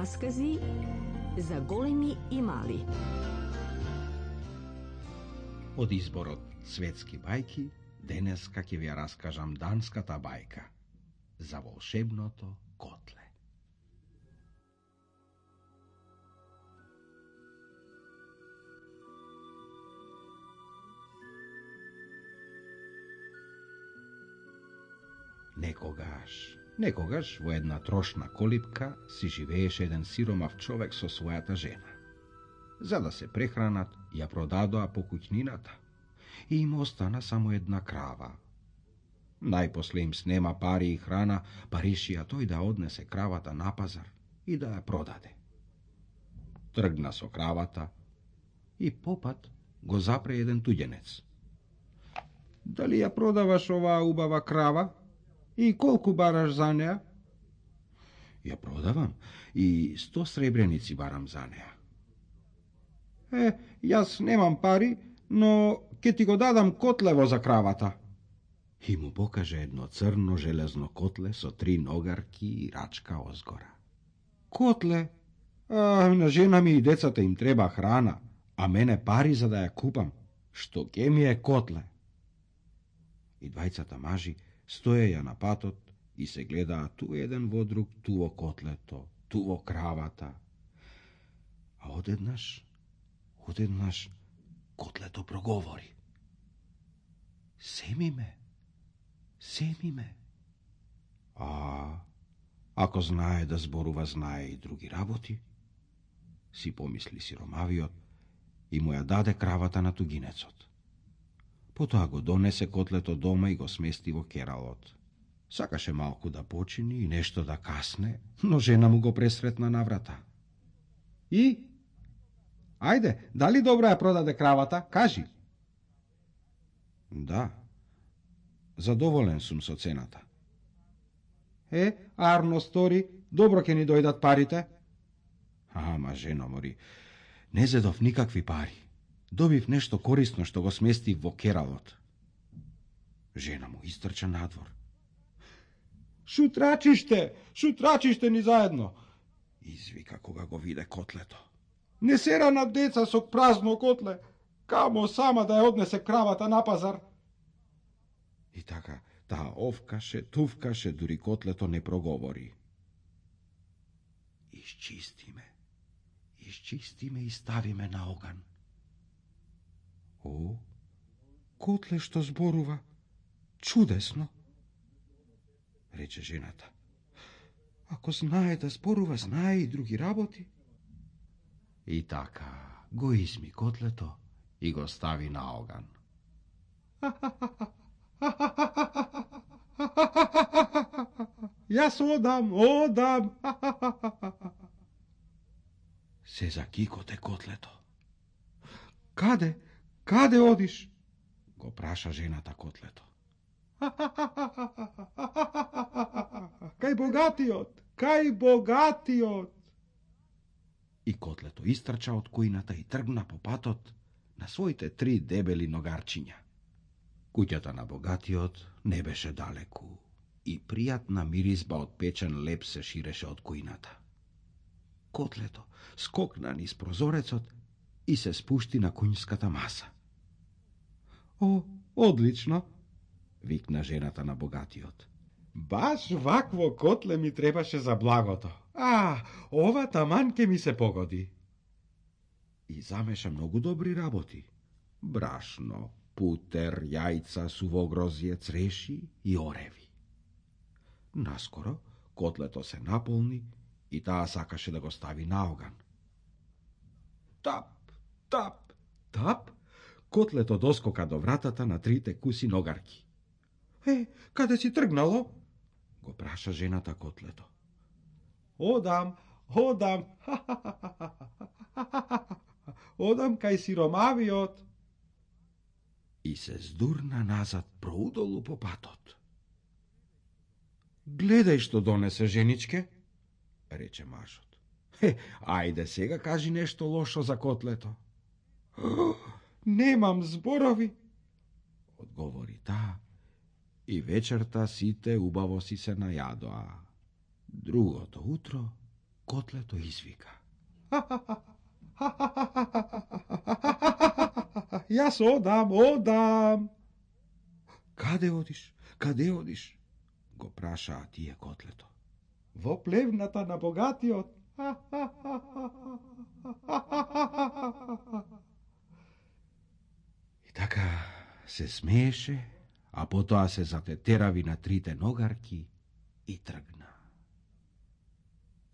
Раскази за големи и мали. Од изборот светски бајки, денеска ќе ви ја раскажам данската бајка за волшебното котле. Некогаш во една трошна колипка си живееше еден сиромав човек со својата жена. За да се прехранат, ја продадоа по куќнината и им остана само една крава. Најпосле им снема пари и храна, па решија тој да однесе кравата на пазар и да ја продаде. Тргна со кравата и попат го запре еден туѓенец. Дали ја продаваш оваа убава крава? И колку бараш за неа? Ја продавам и 100 сребреници барам за неа. Јас немам пари, но ќе ти го дадам котлево за кравата. И му покаже едно црно железно котле со 3 ногарки и рачка озгора. Котле? На жена ми и децата им треба храна, а мене пари за да ја купам. Што ке ми е котле? И двајцата мажи стоеја на патот и се гледаа ту еден во друг, ту во котлето, ту во кравата. А одеднаш котлето проговори. Семи ме. Ако знае да зборува, знае и други работи, си помисли сиромавиот и му ја даде кравата на тугинецот. Потоа го донесе котлето дома и го смести во кералот. Сакаше малку да почини и нешто да касне, но жена му го пресретна на врата. И? Ајде, дали добро ја продаде кравата? Кажи. Да, задоволен сум со цената. Арно стори, добро ќе ни дојдат парите. Ама, жено мори, не зедов никакви пари. Добив нешто корисно што го сместив во кералот. Жена му истрча надвор. Шутрачиште ни заедно, извика кога го виде котлето. Не сера на деца со празно котле, камо сама да ја однесе кравата на пазар. И така, таа овкаше, тувкаше, дури котлето не проговори. Исчисти ме и стави ме на оган. Котле што зборува, чудесно, рече жената. Ако знае да зборува, знае и други работи. И така, го изми котлето и го стави на оган. Јас одам. Се закикоте котлето. Каде одиш? Го праша жената котлето. Кај богатиот. И котлето истрча од кујната и тргна по патот на своите 3 дебели ногарчиња. Куќата на богатиот не беше далеку и пријатна миризба од печен леп се ширеше од кујната. Котлето скокна низ прозорецот и се спушти на куњската маса. Одлично, викна жената на богатиот. Баш вакво котле ми требаше за благото. Ова таман ке ми се погоди. И замеша многу добри работи. Брашно, путер, јајца, сувогрозје, цреши и ореви. Наскоро котлето се наполни и таа сакаше да го стави на оган. Тап, котлето доскока до вратата на 3 куси ногарки. Каде си тргнало? Го праша жената котлето. Одам. Одам кај сиромавиот. И се здурна назад проудолу по патот. Гледај што донесе, женичке, рече мажот. Ајде сега кажи нешто лошо за котлето. Немам зборови, одговори таа, и вечерта сите убаво си се најадоа. Другото утро Котлето извика. Јас одам. Каде одиш? Каде одиш? Го прашаа тие котлето. Во плевната на богатиот. И така се смееше, а потоа се затетерави на трите ногарки и тргна.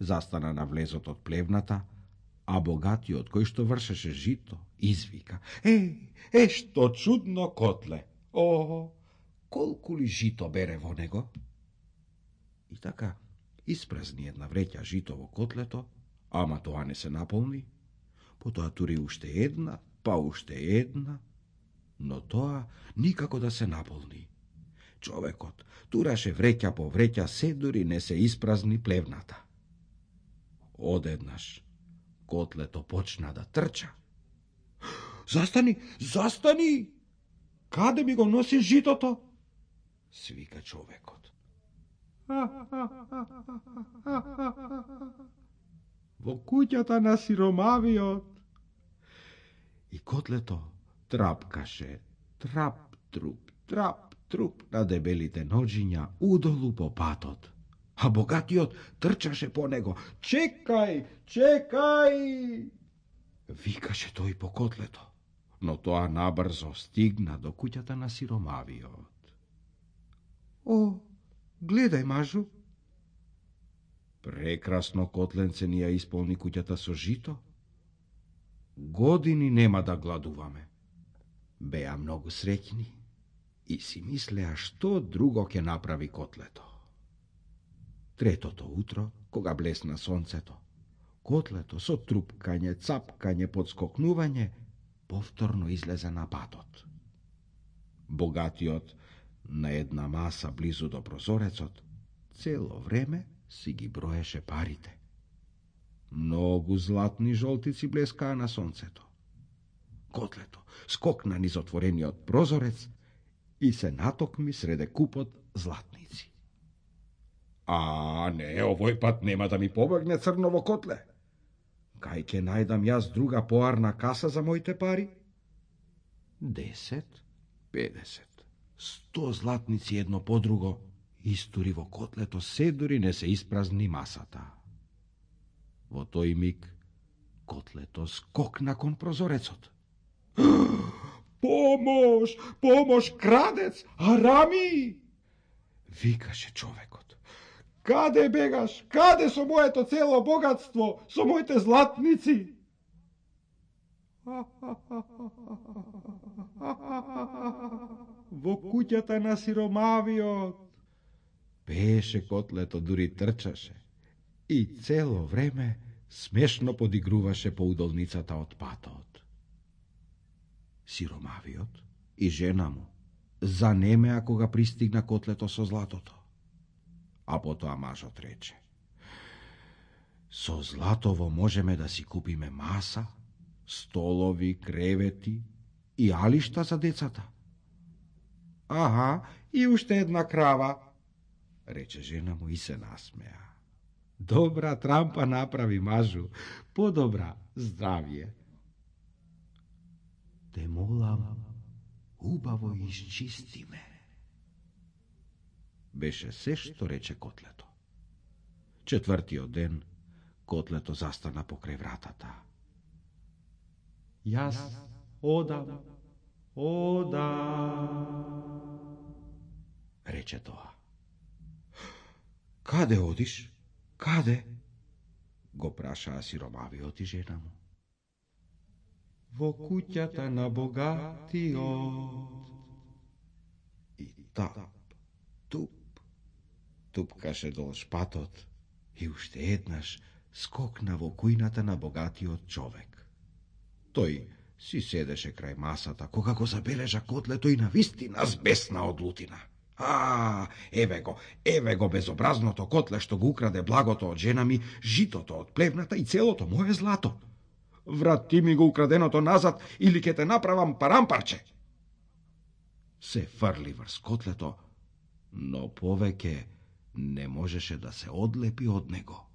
Застана на влезот од плевната, а богатиот, кој што вршеше жито, извика. Што чудно котле! О, колку ли жито бере во него? И така, испразни една вреќа жито во котлето, ама тоа не се наполни, потоа тури уште една, па уште една, но тоа никако да се наполни. Човекот тураше вреќа по вреќа, се дури не се испразни плевната. Одеднаш котлето почна да трча. Застани! Каде ми го носиш житото? Свика човекот. Во куќата на сиромавиот. И котлето трапкаше, трап-труп на дебелите ноџиња удолу по патот. А богатиот трчаше по него. Чекај! Викаше тој по котлето, но тоа набрзо стигна до куќата на сиромавиот. О, гледај, мажу! Прекрасно котленце ни ја исполни куќата со жито. Години нема да гладуваме. Беа многу среќни и си мислеа што друго ќе направи котлето. Третото утро, кога блесна сонцето, котлето со трупкање, цапкање, подскокнување, повторно излезе на патот. Богатиот на една маса близу до прозорецот цело време си ги броеше парите. Многу златни жолтици блескаа на сонцето. Котлето скокна низ отворениот прозорец и се натокми среде купот златници. Не, овој пат нема да ми побегне црново котле. Кај ќе најдам јас друга поарна каса за моите пари? 10, 50, 100 златници едно по друго истури во котлето, се дури не се испразни масата. Во тој миг котлето скокна кон прозорецот. Помош, крадец, арами! Викаше човекот. Каде бегаш? Каде со моето цело богатство, со моите златници? Во куќата на сиромавиот. Пееше котлето, дури трчаше и цело време смешно подигруваше по удолницата од патот. Сиромавиот и жена му занемеа кога пристигна котлето со златото. А потоа мажот рече: со златово можеме да си купиме маса, столови, кревети и алишта за децата. И уште една крава, рече жена му и се насмеа. Добра трампа направи, мажу, подобра здравје. Те молам, убаво изчисти ме. Беше се што рече котлето. Четвртиот ден котлето застана покрај вратата. Јас одам, рече тоа. Каде одиш? Каде? Го прашаа сиромавиот и жена му. Во куќата на богатиот. И тап, тупкаше долж патот и уште еднаш скокна во кујната на богатиот човек. Тој си седеше крај масата, кога го забележа котлето и навистина збесна од лутина. Еве го безобразното котле што го украде благото од жена ми, житото од плевната и целото мое злато. Врати ми го украденото назад или ќе те направам парампарче. Се фрли врз котлето, но повеќе не можеше да се одлепи од него.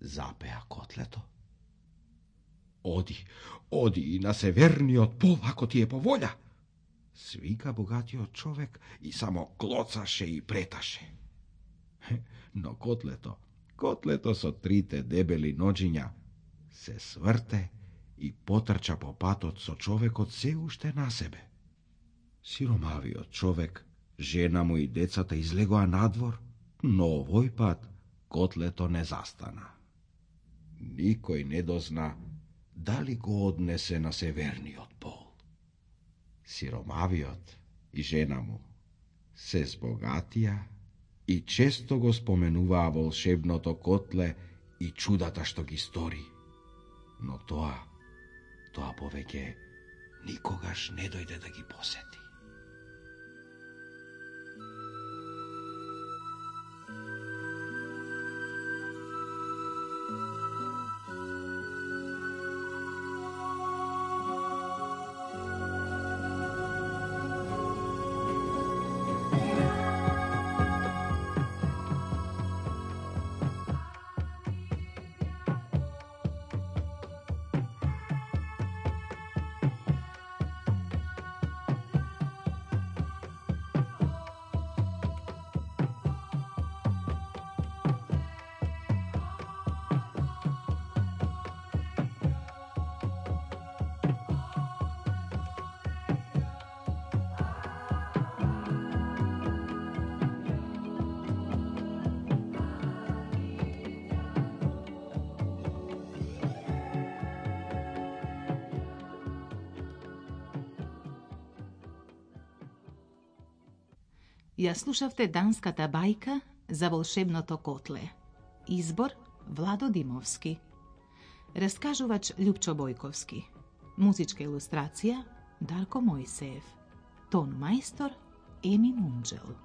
Запеа котлето. Оди и на северниот пол, ако ти е по волја. Свика богатиот човек и само клоцаше и преташе. Но котлето со трите дебели ноџиња се сврте и потрча по патот со човекот се уште на себе. Сиромавиот човек, жена му и децата излегоа надвор, но овој пат котлето не застана. Никој не дозна дали го однесе на северниот пол. Сиромавиот и жена му се збогатија и често го споменуваа волшебното котле и чудата што ги стори. Но тоа повеќе никогаш не дојде да ги посети. Ја слушавте данската бајка за волшебното котле. Избор Владо Димовски. Раскажувач Љупчо Бојковски. Музичка илустрација Дарко Мојсеев. Тон мајстор Еми Мунџел.